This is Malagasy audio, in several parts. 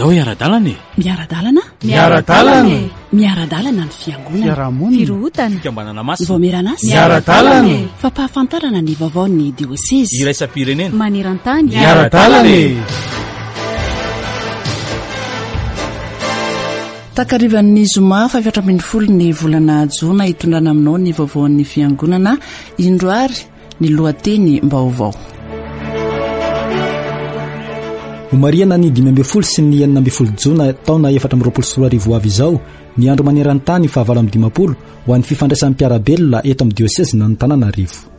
Andao hiara-dalana e! Miara-dalana? Miara-dalana e! Miara-dalana ny fiangonana. Fiarahamonina. Firohotana. Fikambanana masina. Ny vaomieran'asa. Miara-dalana e! Fampahafantarana ny vaovaon'ny diosezy. Iraisam-pirenena. Maneran-tany. Miara-dalana e! Takarivan'ny zoma faha-14 ny volana jona hitondrana aminao ny vaovaon'ny fiangonana indro ary ny lohateny-baovao. Homarihana ny 15 sy ny 16 jona taona 2024 ho avy izao ny andro maneran-tany faha 58 ho an'ny fifandraisan'ny mpiara-belona eto amin'ny diosezin'Antananarivo.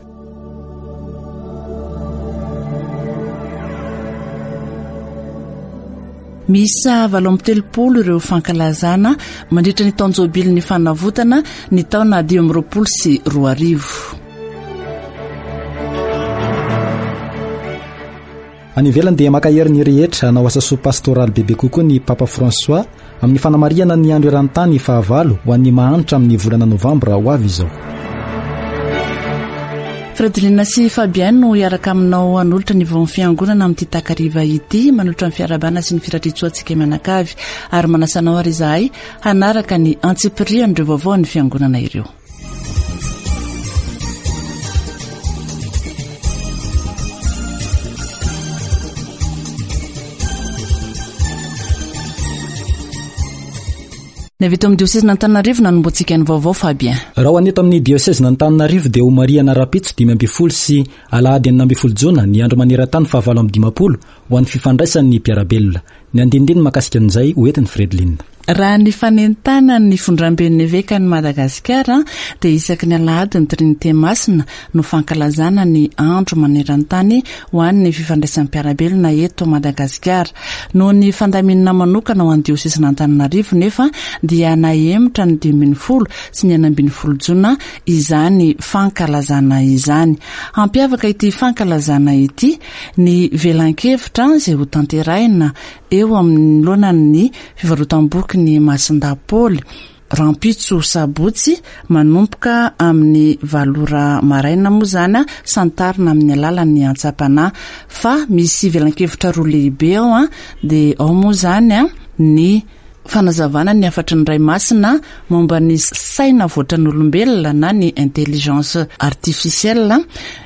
Miisa 38 ireo fankalazana mandritra ny taon-jobilin'ny fanavotana ny taona 2025. Any ivelany dia mankahery ny rehetra hanao asa soa pastoraly bebe kokoa ny Papa François amin'ny fanamarihana ny andro eran-tany fahavalo ho an'ny mahantra amin'ny volana novambra ho avy izao. Fredelina sy Fabien no hiaraka aminao hanolotra ny vaon'ny fiangonana amin'ity takariva ity, manolotra ny fiarahabana sy ny firariantsoa antsika mianakavy ary manasa anao ary izahay hanaraka ny antsipirian'ireo vaovaon'ny fiangonana ireo. Ny avy eto amin'ny diosezin'Antananarivo nanombohantsika ny vaovao Fabien. Raha ho an'ny eto amin'ny diosezin'Antananarivo dia homarihana rahampitso 15 sy alahady 16 jona ny andro maneran-tany fahavalo amby 50 ho an'ny fifandraisan'ny mpiara-belona. Ny andinindininy mahakasika an'izay ho entin'i Fredeline. Raha ny fanentanan'ny Fondramben'ny Evekan'i Madagasikara dia isaky ny alahady ny Trinite Masina no fankalazana ny andro maneran-tany ho an'ny fifandraisan'ny mpiara-belona eto Madagasikara. Noho ny fandaminana manokana ho an'ny diosezin'Antananarivo nefa dia nahemotra ny 15 sy ny 16 jona izany fankalazana izany. Hampiavaka ity fankalazana ity Ny velan-kevitra izay hotanterahina eo anoloanan'ny fivarotam-bokin'i Masindahy Paoly, rahampitso sabotsy, manomboka amin'ny valo ora maraina moa izany, santarina amin'ny alalan'ny antsam-panahy. Fa misy velan-kevitra roa lehibe ao, dia ao moa izany ny fanazavana ny hafatry ny Ray Masina momba ny saina voatran'olombelona na ny intelligence artificielle,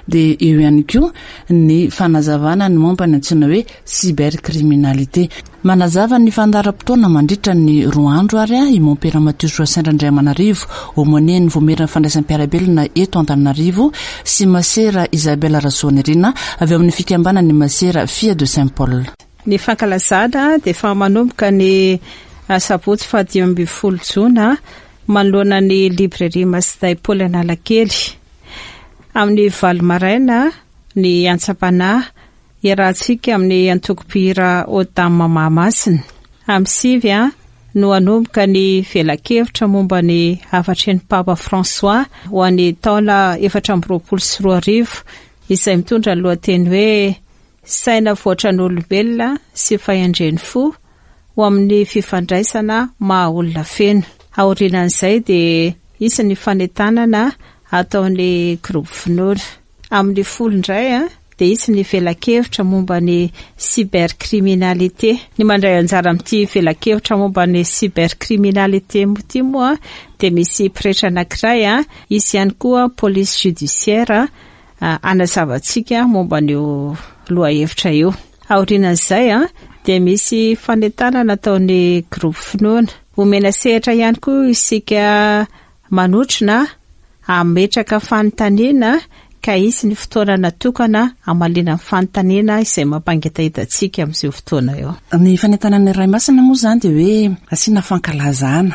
dia eo ihany koa ny fanazavana ny momba ny antsoina hoe cybercriminalité. Manazava ny fandaharam-potoana mandritra ny roa andro ary i Mompera Matio Joassin Randriamanarivo, aumônier-n'ny Voamieran'ny Fandraisam-piarabelona eto Antananarivo sy Masera Isabelle Rasoanirina avy ao amin'ny fikambanan'ny Masera Filles de Saint Paul. Ny fankalazana dia efa manomboka ny asabotsy faha 15 jona manoloana ny Librairie Masindahy Paoly Analakely. Amin'ny valo maraina ny antsam-panahy iarahantsika amin'ny antoko mpihira Odam Mahamasina. Amin'ny sivy no hanomboka ny velakevitra momba ny hafatry ny Papa François ho an'ny taona 2024 izay mitondra ny lohateny hoe Saina voatran'olombelona sy fahendren'ny fo ho amin'ny fifandraisana maha olona feno. Aorianan'izay dia hisy ny fanentanana ataon'ny groupe finoana. Amin'ny folo indray dia hisy ny velakevitra momba ny cybercriminalité. Ny mandray anjara amin'ity velakevitra momba ny cybercriminalité ity moa dia misy pretra anankiray, hisy ihany koa police judiciaire hanazava antsika momba an'io lohahevitra io. Aorianan'izay dia misy fanentanana ataon'ny groupe finoana. Omena sehatra ihany koa isika manotrona hametraka fanontaniana ka hisy ny fotoana natokana hamaliana ny fanontaniana izay mampangetaheta antsika amin'izao fotoana io. Ny fanentanan'ny Ray Masina moa izany dia hoe asiana fankalazana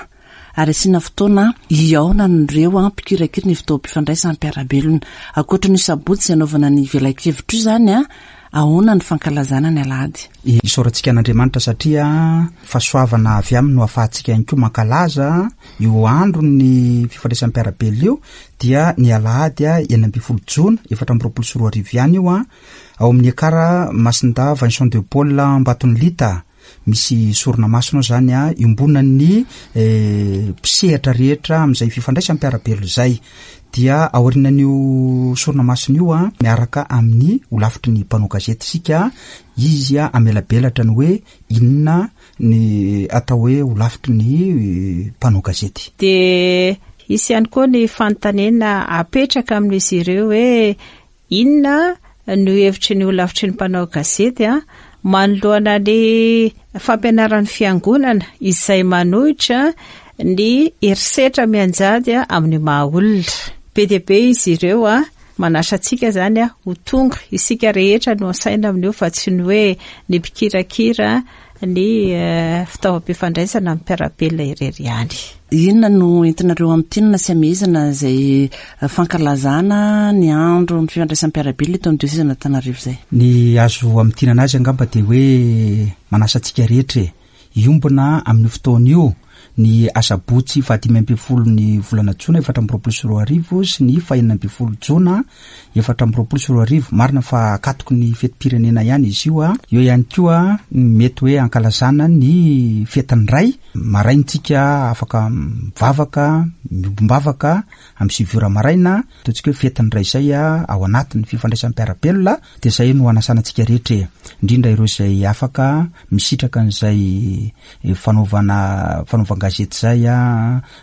ary asiana fotoana hihaonan'ireo mpikirakira ny fotoam-pifandraisan'ny mpiara-belona. Ankoatra ny sabotsy izay anaovana ny velakevitra io izany, ahoana ny fankalazana ny alahady? Isaorantsika an'Andriamanitra satria fahasoavana avy aminy no ahafahantsika ihany koa mankalaza io andron'ny fifandraisan'ny mpiara-belona io, dia ny alahady 16 jona 2024 ihany io, ao amin'ny Ekar Masindahy Vincent de Paul Ambatonilita. Misy sorona masina ao izany iombonan'ny mpisehatra rehetra amin'izay fifandraisam-piarabelona izay. Dia aorianan'io sorona masina io a, miaraka amin'ny holafitry ny mpanao gazety isika, izy a hamelabelatra ny hoe inona ny atao hoe holafitry ny mpanao gazety. Dia hisy ihany koa ny fanontaniana apetraka amin'izy ireo hoe Inona no hevitry ny holafitry ny mpanao gazety manoloana ny fampianaran'ny fiangonana izay manohitra ny herisetra mianjady amin'ny maha olona? Be dia be izy ireo, manasa antsika izany ho tonga, isika rehetra no asaina amin'io fa tsy ny hoe ny mpikirakira ny fitaovam-pifandraisana amin'ny mpiara-belona irery ihany. Inona no entinareo hamintinina sy hamehezana izay fankalazana ny andro ny fifandraisan'ny mpiara-belona eto amin'ny diosezan'Antananarivo izay? Ny azo hamintinana azy angamba dia hoe manasa antsika rehetra e! Hiombona amin'io fotoana io ny asabotsy fahadimy ambin'ny folon'ny volana jona 2024 sy ny fahenina ambin'ny folo jona 2024. Marina fa akatoky ny fetim-pirenena ihany izy io. Eo ihany koa ny mety hoe ankalazana ny fetin'ny Ray. Maraina tsika afaka mivavaka, miombom-bavaka amin'ny sivy ora maraina. Ataontsika hoe fetin'ny Ray izay ao anatin'ny fifandraisan'ny mpiara-belona dia izay no anasana antsika rehetra e! Indrindra ireo izay afaka misitraka an'izay fanaovana fanaovan-gazety izay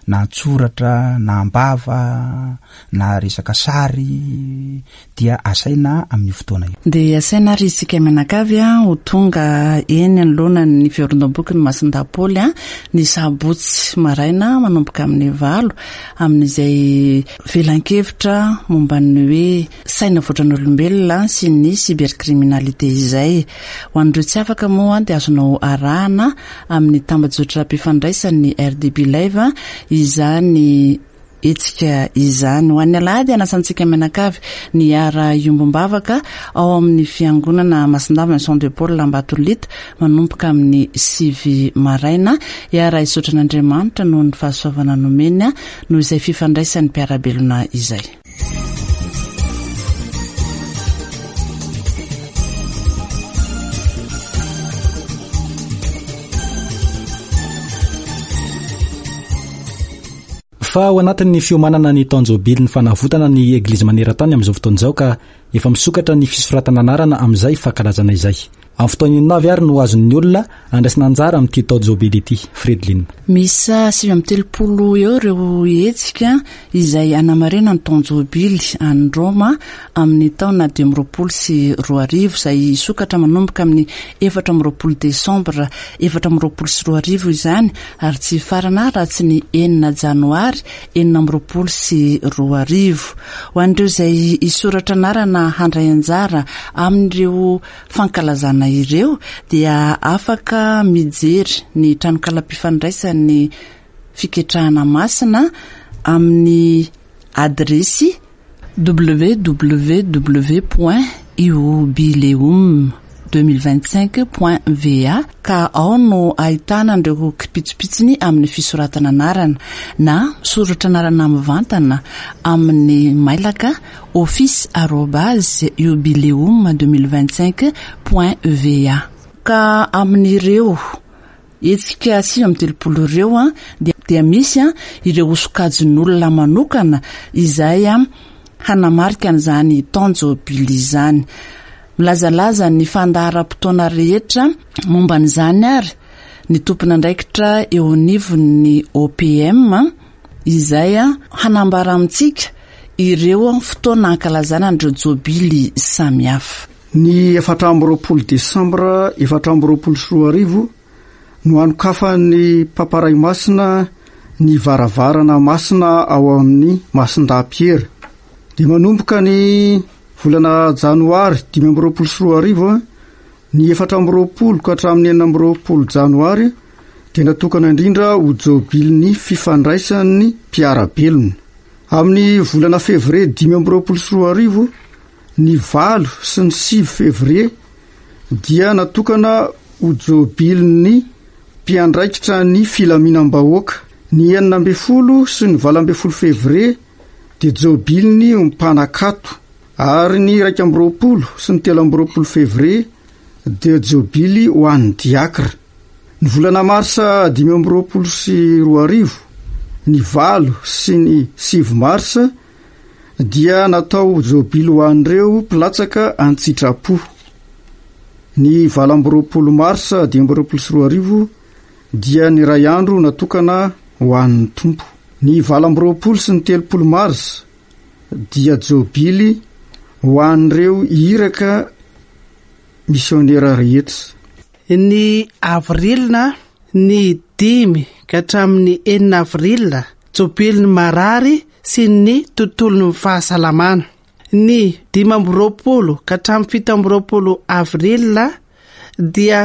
na an-tsoratra na am-bava na resaka sary dia asaina amin'io fotoana io. Dia asaina ary isika mianakavy ho tonga eny anoloanan'ny fivarondam-bokin'i Masindahy Paoly ny sabotsy maraina manomboka amin'ny valo amin'izay velan-kevitra momba ny hoe saina voatran'olombelona sy ny cybercriminalité izay. Ho an'ireo tsy afaka moa dia azonao arahana amin'ny tambajotram-pifandraisan'ny RDB Live izany hetsika izany. Ho an'ny alahady anasantsika mianakavy ny hiara-hiombom-bavaka ao amin'ny fiangonana Masindava Vincent de Paul Ambatolita manomboka amin'ny sivy maraina. Hiara-hisaotra an'Andriamanitra noho ny fahasoavana nomeny noho izay fifandraisan'ny mpiara-belona izay. Fa ao anatin'ny fiomanana ny taon-jôbilin'ny fanavotana ny Eglizy maneran-tany amin'izao fotoana izao ka efa misokatra ny fisoratana anarana amin'izay fankalazana izay. Amin'ny fotoana inona avy ary no azon'ny olona andraisana anjara amin'ity taon-jobily ity? Fredeline. Miisa 39 eo ireo hetsika izay hanamarina ny taon-jobily any Roma amin'ny taona 2025 izay hisokatra manomboka amin'ny 24 desambra 2024 izany ary tsy hifarana raha tsy ny enina janoary 2026. Ho an'ireo izay hisoratra anarana handray anjara amin'ireo fankalazana ireo dia afaka mijery ny tranokalam-pifandraisan'ny Fiketrahana Masina amin'ny adiresy www point iubileum 2025 point va ka ao no ahitana an'ireo kipitsopitsony amin'ny fisoratana anarana na misoratra anarana mivantana amin'ny mailaka office arobase jubileum 2025 point va. Ka amin'ireo hetsika 39 ireo dia misy ireo ho sokajin'olona manokana izay hanamarika an'izany taon-jobily izany. Milazalaza ny fandaharam-potoana rehetra momba an'izany ary ny tompon'andraikitra eo anivon'ny OPM izay hanambara amintsika ireo fotoana hankalazana an'ireo jobily samihafa. Ny 24 desambra 2024 no hanokafan'ny Papa Ray Masina ny varavarana masina ao amin'ny Masindahy Piera. Dia manomboka ny volana janoary 2025, ny 24 ka hatramin'ny 26 janoary dia natokana indrindra ho jobilin'ny fifandraisan'ny mpiara-belona. Amin'ny volana fevrier 2025, ny valo sy ny sivy fevrier dia natokana ho jobilin'ny mpiandraikitra ny filaminam-bahoaka. Ny 16 sy ny 18 fevrier dia jobilin'ny mpanakato ary ny 21 sy ny 23 fevrier dia jobily ho an'ny diakra. Ny volana marsa 2025, ny valo sy ny sivy marsa. dia natao ho jobily ho an'ireo mpilatsaka an-tsitrapo. Ny 28 marsa 2025 dia ny iray andro natokana ho an'ny Tompo. Ny 28 sy ny 30 marsa dia jobily ho an'ireo iraka misionera rehetra. Ny avril ny dimy ka hatramin'ny enina avril, jobilin'ny marary sy ny tontolon'ny fahasalamana. Ny 25 ka hatramin'ny 27 avril dia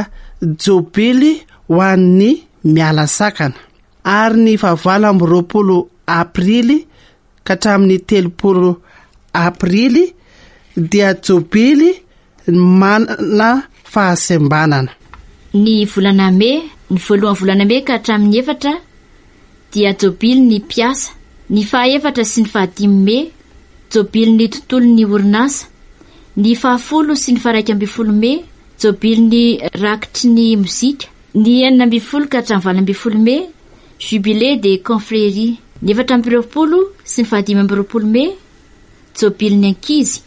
jobily ho an'ny miala sakana. Ary ny fahavalo amby roapolo aprily ka hatramin'ny 30 aprily dia jobily manana fahasembanana. Ny volana mey, ny voalohan'ny volana mey ka hatramin'ny efatra dia jobily ny mpiasa. Ny fahaefatra sy ny fahadimy mey, jobily ny tontolon'ny orinasa. Ny fahafolo sy ny faharaika ambin'ny folo mey, jobily ny rakitry ny mozika. Ny 16 ka hatramin'ny 18 mey, jubilé des confréries. Ny 24 sy ny faha 25 mey, jobilin'ny ankizy.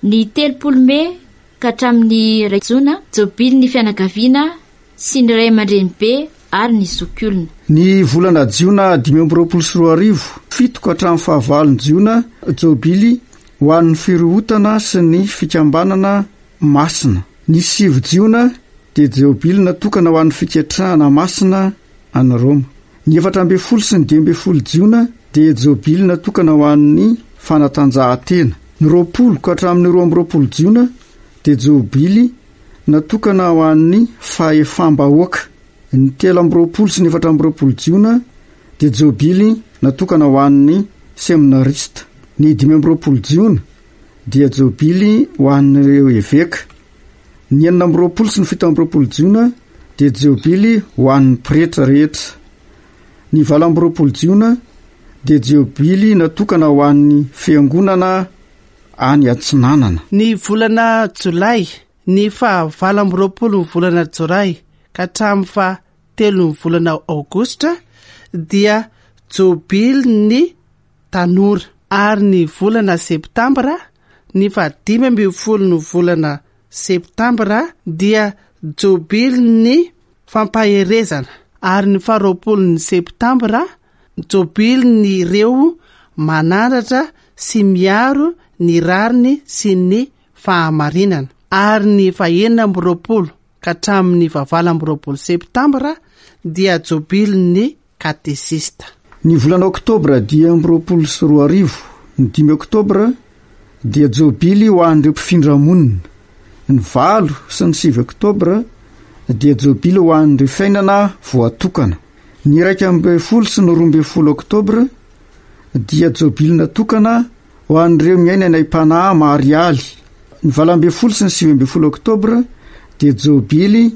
Ny 30 mey ka hatramin'ny iray jona, jobilin'ny fianakaviana sy ny ray aman-drenibe ary ny zokiolona. Ny volana jiona 2025, fito ka hatramin'ny fahavalon'ny jiona, jobily ho an'ny firohotana sy ny fikambanana masina. Ny sivy jiona dia jobily natokana ho an'ny fiketrahana masina any Roma. Ny 14 sy ny 15 jiona dia jobily natokana ho an'ny fanatanjahantena. Ny 20 ka hatramin'ny 22 jiona dia jobily natokana ho an'ny fahefam-bahoaka. Ny 23 sy ny 24 jiona dia jobily natokana ho an'ny seminarista. Ny 25 jiona dia jobily ho an'ireo eveka. Ny 26 sy ny 27 jiona dia jobily ho an'ny pretra rehetra. Ny 28 jiona dia jobily natokana ho an'ny fiangonana any atsinanana. Ny volana jolay, ny faha 28 ny volana jolay ka hatramin'ny faha telon'ny volana aogositra dia jobilin'ny tanora ary ny volana septambra, ny faha 15 ny volana septambra dia jobilin'ny fampaherezana ary ny faha 20 ny septambra jobilin'ireo manandratra sy miaro ny rariny sy ny fahamarinana ary ny faha 26 ka hatramin'ny faha 28 septambra dia jobilin'ny katesista. Ny volana oktobra 2025, ny dimy oktobra dia jobily ho an'ireo mpifindra monina. Ny valo sy ny sivy oktobra dia jobily ho an'ireo fiainana voatokana. Ny 11 sy ny 12 oktobra dia jobily natokana ho an'ireo miaina ny aim-panahy marialy. Ny 18 sy ny 19 oktobra dia jobily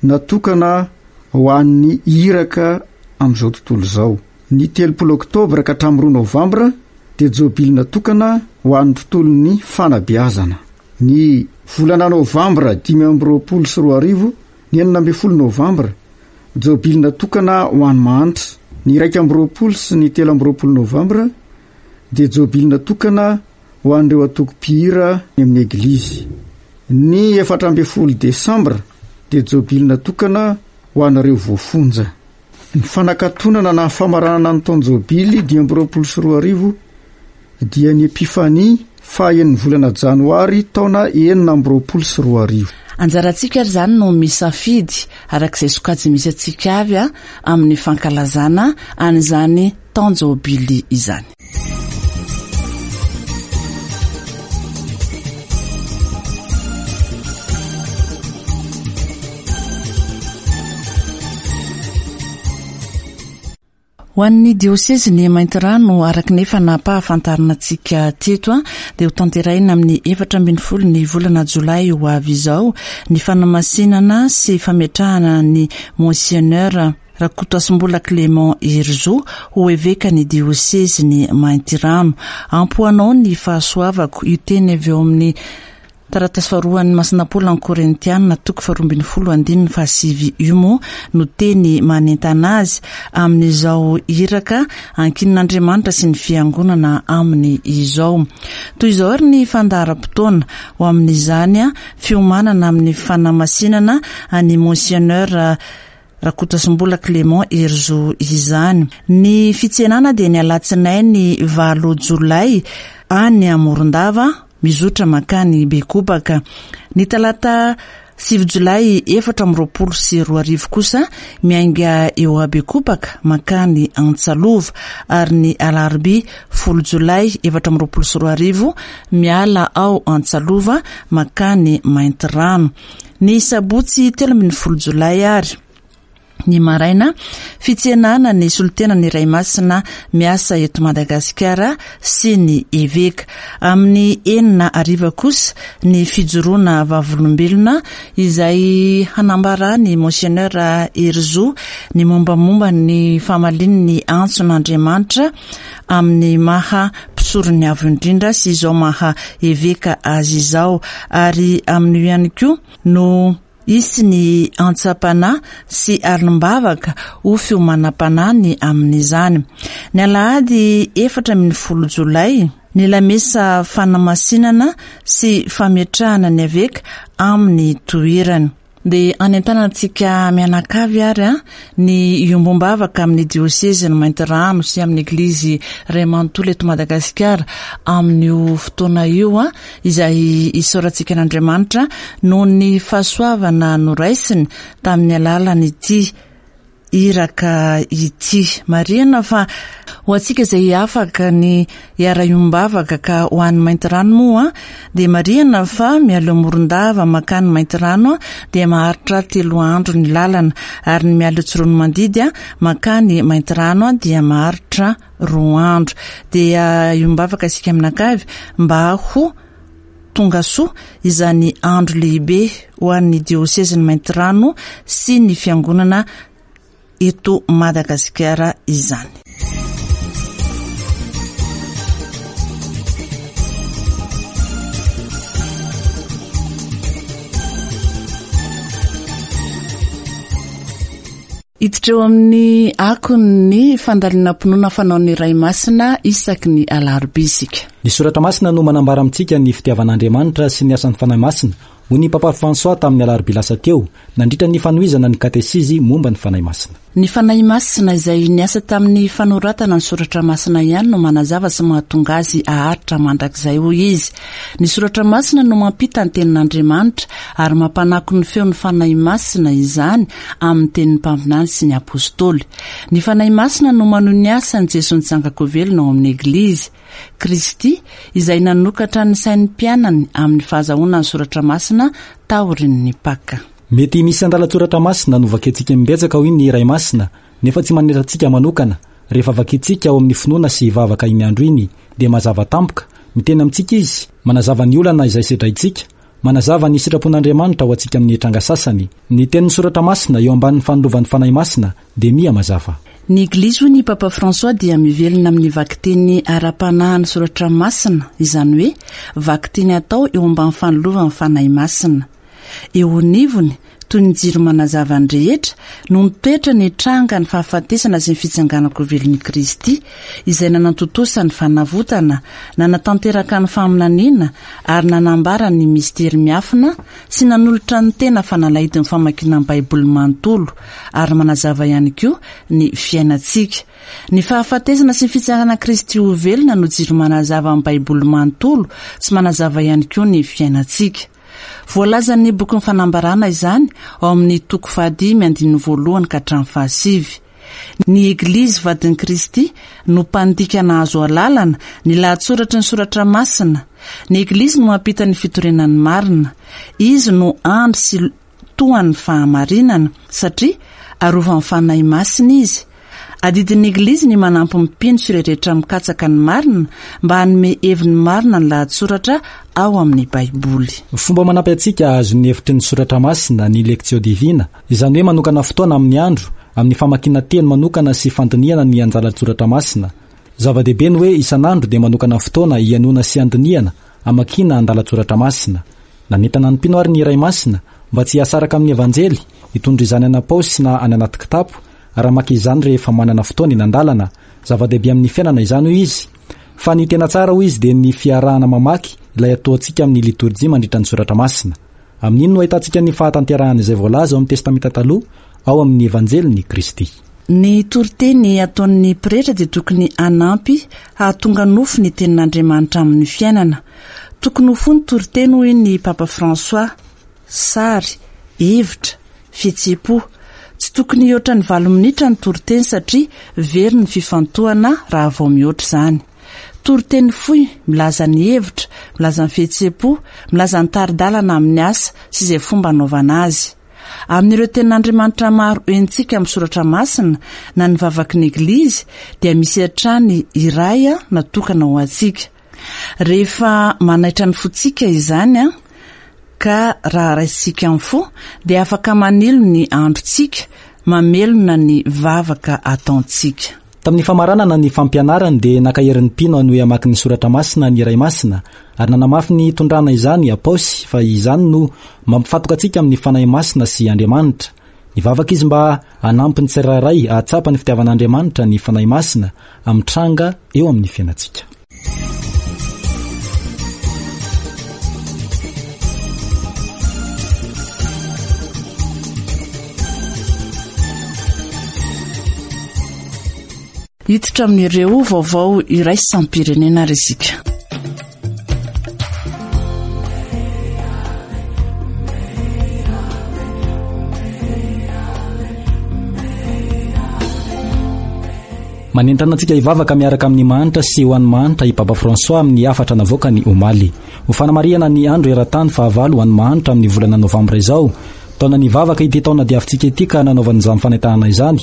natokana ho an'ny iraka amin'izao tontolo izao. Ny 30 oktobra ka hatramin'ny roa novambra dia jobily natokana ho an'ny tontolon'ny fanabeazana. Ny volana novambra 2025, ny 16 novambra, jobily natokana ho an'ny mahantra. Ny 21 sy ny 23 novambra dia jobily natokana ho an'ireo antoko mpihira any amin'ny eglizy. Ny 14 desambra dia jobily natokana ho anareo voafonja. Ny fanakatonana na famaranana ny taon-jobily 2025 dia ny Epifania faha enin'ny volana janoary taona 2026. Anjarantsika ary izany no misafidy araka izay sokajy misy antsika avy amin'ny fankalazana an'izany taon-jobily izany. Ho an'ny diosezin'i Maintirano, araka ny efa nampahafantarina antsika teto, dia ho tanterahina amin'ny 14 ny volana jolay ho avy izao ny fanamasinana sy fametrahana ny Monseigneur Rakotoasimbola Clément Herizo ho evekan'ny diosezin'i Maintirano. Ampy ho anao ny fahasoavako, io teny avy eo amin'ny. Taratasy faharoan'ny Masina Paoly any Korintiana, toko faharoa ambin'ny folo andininy fahasivy io moa no teny manentana azy amin'izao iraka ankinin'Andriamanitra sy ny Fiangonana aminy izao. Toy izao ary ny fandaharam-potoana ho amin'izany fiomanana amin'ny fanamasinana an'i Monseigneur Rakotoasimbola Clément Herizo izany. Ny fitsenana dia ny alatsinainy valo jolay any Morondava mizotra mankany Bekobaka. Ny talata sivy jolay 2024 kosa miainga eo Bekobaka mankany Antsalova ary ny alarobia 10 jolay 2024 miala ao Antsalova mankany Maintirano. Ny sabotsy 13 jolay ary ny maraina, fitsenana ny solontenan'ny Ray Masina miasa eto Madagasikara sy ny Eveka. Amin'ny enina hariva kosa ny fijoroana vavolombelona izay hanambaran'i Monseigneur Herizo ny mombamomba ny famaliany ny antson'Andriamanitra amin'ny maha mpisoron'ny Avo Indrindra sy izao maha Eveka azy izao ary amin'io ihany koa no hisy ny antsam-panahy sy alim-bavaka ho fiomanam-panahy ny amin'izany. Ny alahady 14 jolay, ny lamesa fanamasinana sy fametrahana ny eveka amin'ny toerany. Dia hanentana antsika mianakavy ary ny hiombom-bavaka amin'ny diosezin'i Maintirano sy amin'ny Eglizy iray manontolo eto Madagasikara amin'io fotoana io izay isaorantsika an'Andriamanitra noho ny fahasoavana noraisiny tamin'ny alalan'ity iraka ity. Marihina fa ho antsika izay afaka ny hiara-hiombavaka ka ho any Maintirano moa dia marihina fa mialoha Morondava mankany Maintirano dia maharitra telo andro ny lalana ary ny miala eo Tsiroanomandidy mankany Maintirano dia maharitra roa andro. Dia hiombavaka isika mianakavy mba ho tonga soa izany andro lehibe ho an'ny diosezin'i Maintirano sy ny fiangonana eto Madagasikara izany. Hiditra eo amin'ny akon'ny fandalinam-pinoana fanaon'ny Ray Masina isaky ny alarobia isika. Ny Soratra Masina no manambara amintsika ny fitiavan'Andriamanitra sy ny asan'ny Fanahy Masina, hoy ny Papa François tamin'ny alarobia lasa teo, nandritra ny fanohizana ny katesizy momba ny Fanahy Masina. Ny Fanahy Masina izay niasa tamin'ny fanoratana ny Soratra Masina ihany no manazava sy mahatonga azy haharitra mandrakizay, hoy izy. Ny Soratra Masina no mampita ny Tenin'Andriamanitra ary mampanako ny feon'ny Fanahy Masina izany amin'ny tenin'ny mpaminany sy ny apostoly. Ny Fanahy Masina no manohy ny asan'i Jesoa nitsangan-ko velona ao amin'ny Eglizy. Kristy, izay nanokatra ny sain'ny mpianany amin'ny fahazahoana ny Soratra Masina taorian'ny Paka. Mety misy andalan-tsoratra masina novakiantsika imbetsaka hoy ny Ray Masina, nefa tsy manetra antsika manokana. Rehefa vakintsika ao amin'ny finoana sy vavaka iny andro iny dia mazava tampoka, miteny amintsika Izy, manazava ny olana izay sedraintsika, manazava ny sitrapon'Andriamanitra ho antsika amin'ny tranga sasany. Ny tenin'ny Soratra Masina eo ambanin'ny fanilovan'ny Fanahy Masina dia miha mazava. Ny Eglizy hoy ny Papa François dia mivelona amin'ny vakiteny ara-panahin'ny Soratra Masina, izany hoe vakiteny atao eo ambany fanilovan'ny Fanahy Masina. Eo anivony, toy ny jiro manazava ny rehetra, no mitoetra ny tranga ny fahafatesana sy ny fitsanganan-kovelon'i Kristy, izay nanantontosa ny fanavotana, nanatanteraka ny faminaniana, ary nanambara ny mistery miafina sy nanolotra ny tena fanalahidin'ny famakiana ny Baiboly manontolo, ary manazava ihany koa ny fiainantsika. Ny fahafatesana sy ny fitsanganan'i Kristy ho velona no jiro manazava ny Baiboly manontolo sy manazava ihany koa ny fiainantsika. Voalazan'ny bokin'ny Fanambarana izany ao amin'ny toko fahadimy andininy voalohany ka hatramin'ny fahasivy. Ny Eglizy vadin'i Kristy no mpandika nahazo alalana ny lahatsoratry ny Soratra Masina. Ny Eglizy no mampita ny fitoriana ny marina. Izy no andry sy tohan'ny fahamarinana, satria arovan'ny Fanahy Masina izy. Adidin'ny Eglizy ny manampy ny mpino sy ireo rehetra mikatsaka ny marina mba hanome heviny marina ny lahatsoratra ao amin'ny Baiboly. Fomba manampy antsika hahazo ny hevitry ny Soratra Masina ny Lectio Divina, izany hoe manokana fotoana amin'ny andro, amin'ny famakiana teny manokana sy fandinihana ny anjaran-tsoratra masina. Zava-dehibe ny hoe isan'andro dia manokana fotoana hihainoana sy handinihana, hamakiana andalan-tsoratra masina. Nanentana ny mpino àry ny Ray Masina mba tsy hihasaraka amin'ny Evanjely, hitondra izany any am-paosy na any anaty kitapo, ary hamaky izany rehefa manana fotoana eny an-dalana. Zava-dehibe amin'ny fiainana izany, hoy izy. Fa ny tena tsara, hoy izy, dia ny fiarahana mamaky ilay ataontsika amin'ny litorjia mandritra ny Soratra Masina. Amin'iny no ahitantsika ny fahatanterahan'izay voalaza ao amin'ny Testamenta Taloha, ao amin'ny Evanjelin'i Kristy. Ny toriteny ataon'ny pretra dia tokony hanampy hahatonga nofo ny Tenin'Andriamanitra amin'ny fiainana. Tokony ho fohy ny toriteny hoy ny Papa François. Sary, hevitra, fihetseham-po. Tsy tokony hihoatra ny valo minitra ny toriteny satria very ny fifantohana raha vao mihoatra izany. Toriteny fohy milaza ny hevitra, milaza ny fihetseham-po, milaza ny tari-dalana amin'ny asa sy izay fomba anaovana azy. Amin'ireo tenin'Andriamanitra maro henontsika amin'ny Soratra Masina na ny vavaky ny Eglizy dia misy hatrany iray natokana ho antsika. Rehefa manaitra ny fontsika izany ka raha raisintsika amin'ny fo dia afaka manilo ny androntsika, mamelona ny vavaka ataontsika. Tamin'ny famaranana ny fampianarany dia nankahery ny mpino hanohy hamaky ny Soratra Masina ny Ray Masina ary nanamafy ny hitondrana izany Apaosy fa izany no mampifatoka antsika amin'ny Fanahy Masina sy Andriamanitra. Nivavaka izy mba hanampy ny tsirairay hahatsapa ny fitiavan'Andriamanitra ny Fanahy Masina amin'ny tranga eo amin'ny fiainantsika. Hiditra amin'ireo vaovao iraisam-pirenena ary isika. Manentana antsika hivavaka miaraka amin'ny mahantra sy ho an'ny mahantra i Papa François amin'ny hafatra navoakany omaly. Ho fanamarihana ny andro eran-tany fahavalo ho an'ny mahantra amin'ny volana novambra izao. Taona nivavaka ity taona diavintsika ity ka nanaovany izany fanentanana izany.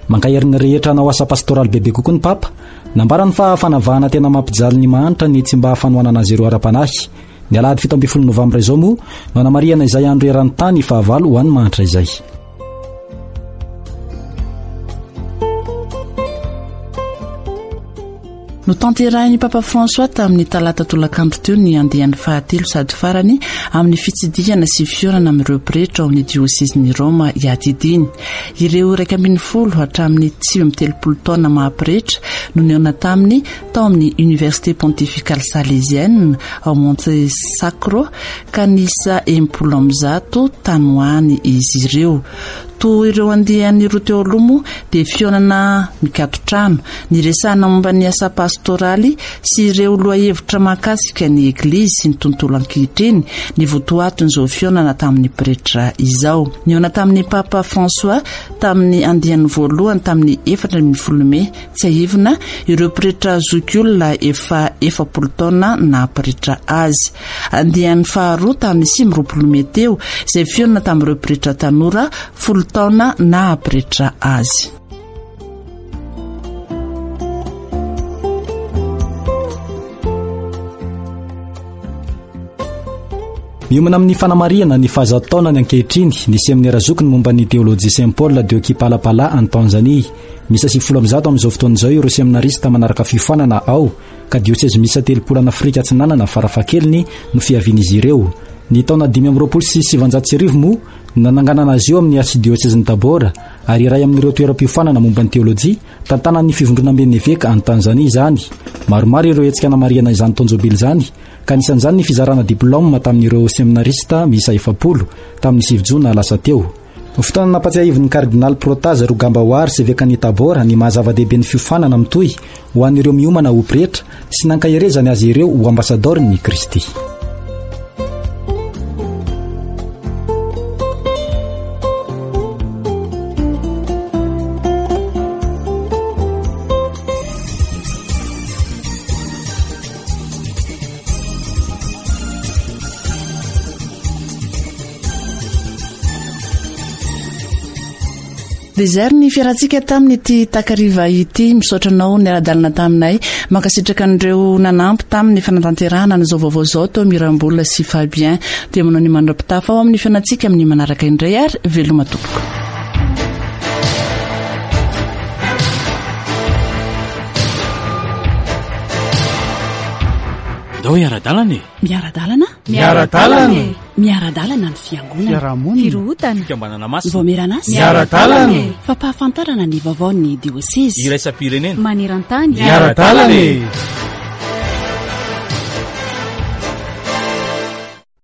Mankahery ny rehetra hanao asa pastoraly bebe kokoa ny Papa. Nambarany fa fanavahana tena mampijaly ny mahantra ny tsy mba fanohanana azy ireo ara-panahy. Ny alahady 17 novambra izao moa no anamarihana izay andro eran-tany fahavalo ho an'ny mahantra izay. Notanterahin'ny Papa François tamin'ny talata tolakandro teo ny andiany fahatelo sady farany amin'ny fitsidihana sy fihaonana amin'ireo pretra ao amin'ny diosezin'i Roma iadidiany. Ireo 11 hatramin'ny 39 taona maha pretra no nihaona taminy tao amin'ny Université Pontificale Salésienne ao Monte Sacro ka niisa 160 tany ho any izy ireo. Toa ireo andiany roa teo aloha moa dia fihaonana mikaton-trano, niresahana momba ny asa pastoraly sy ireo lohahevitra mahakasika ny Eglizy sy ny tontolo ankehitriny ny votoatin'izao fihaonana tamin'ny pretra izao. Nihaona tamin'ny Papa François tamin'ny andiany voalohany tamin'ny 14 mey Tsiahivina ireo pretra zokiolona efa 40 taona naha pretra azy. Andiany faharoa tamin'ny 29 mey teo, izay fihaonana tamin'ireo pretra tanora folo taona naha pretra azy. Miomana amin'ny fanamarihana ny fahazato taonany ankehitriny ny seminera zokiny momba ny teolojia Saint Paul de Kipalapala any Tanzania. Miisa 190 amin'izao fotoana izao ireo seminarista manaraka fiofanana ao ka diosezy miisa 30 any Afrika Atsinanana farafahakeliny no fiavian'izy ireo. Ny taona 1925 moa no nananganana azy io amin'ny arsidiosezin'i Tabora ary iray amin'ireo toeram-piofanana momba ny teolojia tantanan'ny fivondronamben'ny eveka any Tanzania izany. Maromaro ireo hetsika namarihana izany taon-jobily izany ka anisan'izany ny fizarana diplaoma tamin'ireo seminarista miisa 40 tamin'ny 9 jona lasa teo. Fotoana nampatsiahivin'ny Kardinaly Protase Rugambawar, Sevekan'i Tabor, ny maha zava-dehibe ny fiofanana mitohy ho an'ireo miomana ho pretra sy nankaherezany azy ireo ho ambasadaorin'i Kristy. Dia izay ary ny fiarantsika tamin'ity takariva ity. Misaotra anao niara-dalana taminay. Mankasitraka an'ireo nanampy tamin'ny fanatanterahana an'izao vaovao izao tao Mirambola sy Fabien. Dia manao ny mandra-pitafa ao amin'ny fihaonantsika amin'ny manaraka indray ary veloma tompoko. Ndao hiara-dalana e! Miara-dalana? Miara-dalana e! Miara-dalana ny fiangonana. Fiarahamonina. Firohotana. Fikambanana masina. Vaomieran'asa. Miara-dalana e! Fampahafantarana ny vaovaon'ny diosezy. Iraisam-pirenena. Maneran-tany. Miara-dalana e!